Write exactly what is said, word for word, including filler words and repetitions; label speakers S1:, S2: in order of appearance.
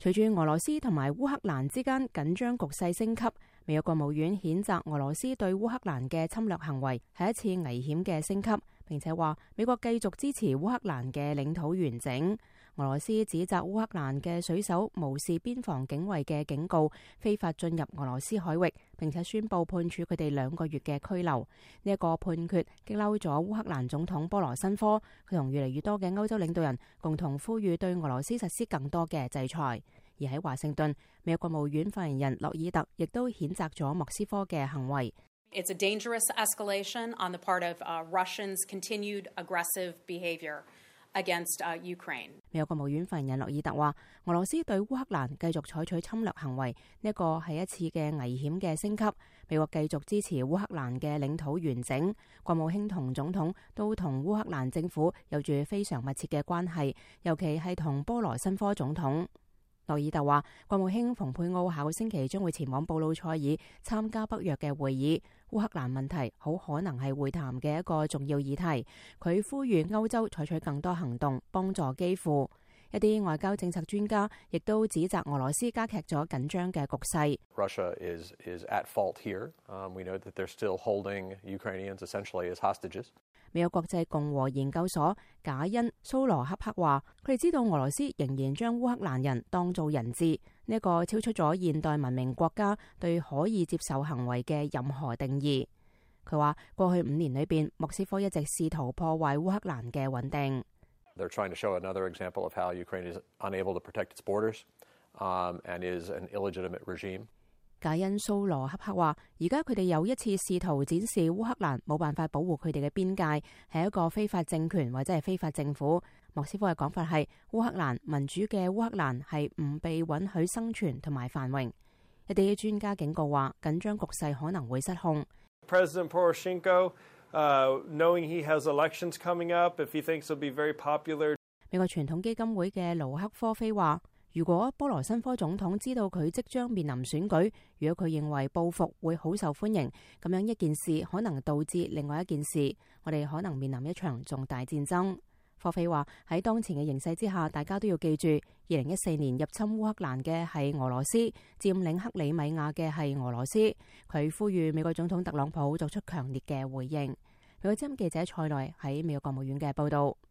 S1: 隨住俄羅斯同埋烏克蘭之間緊張局勢升級，美國國務院譴責俄羅斯對烏克蘭嘅侵略行為係一次危險嘅升級，並且話美國繼續支持烏克蘭嘅領土完整。俄羅斯指責烏克蘭嘅水手無視邊防警衛嘅警告，非法進入俄羅斯海域，並且宣布判處佢哋兩個月嘅拘留。呢一個判決激嬲咗烏克蘭總統波羅申科，佢同越嚟越多嘅歐洲領導人共同呼籲對俄羅斯實施更多嘅制裁。而喺華盛頓，美國國務院發言人洛爾特亦都譴責咗莫斯科嘅行為。
S2: It's a dangerous escalation on the part of uh, Russians' continued aggressive behavior against uh, Ukraine.
S1: 美國國務院發言人洛爾特話，俄羅斯對烏克蘭繼續採取侵略行為，呢一個係一次嘅危險嘅升級。美國繼續支持烏克蘭嘅領土完整。國務卿同總統都同烏克蘭政府有住非常密切嘅關係，尤其係同波羅申科總統。洛爾特話，國務卿蓬佩奧下個星期將會前往布魯塞爾參加北約嘅會議。烏克蘭問題好可能係會談嘅一個重要議題。佢呼籲歐洲採取更多行動，幫助基輔。一啲外交政策專家亦都指責俄羅斯加劇咗緊張嘅局勢。
S3: Russia is is at fault here. Um, we know that they're still holding Ukrainians essentially as hostages.
S1: 美國國際共和研究所賈恩蘇羅恰克話，佢哋知道俄羅斯仍然將烏克蘭人當做人質，呢一個超出咗現代文明國家對可以接受行為嘅任何定義。佢話過去五年裏邊，莫斯科一直試圖破壞烏克蘭嘅穩定。
S3: They're trying to show another example of how Ukraine is unable to protect its borders, um, and is an illegitimate regime.
S1: 賈恩蘇羅恰克話，而家佢哋又一次試圖展示烏克蘭冇辦法保護佢哋嘅邊界，係一個非法政權或者係非法政府。莫斯科嘅講法係，烏克蘭民主嘅烏克蘭係唔被允許生存同埋繁榮。一啲專家警告話，緊張局勢可能會失控。
S4: President Poroshenko, uh, knowing he has elections coming up, if he thinks he'll be very popular.
S1: 美國傳統基金會嘅盧克科菲話，如果波羅申科總統知道佢即將面臨選舉，如果佢認為報復會好受歡迎，咁樣一件事可能導致另外一件事，我哋可能面臨一場重大戰爭。科菲話，喺當前嘅形勢之下，大家都要記住，二零一四年入侵烏克蘭嘅係俄羅斯，佔領克里米亞嘅係俄羅斯。佢呼籲美國總統特朗普作出強烈嘅回應。美國之音記者蔡內喺美國國務院嘅報道。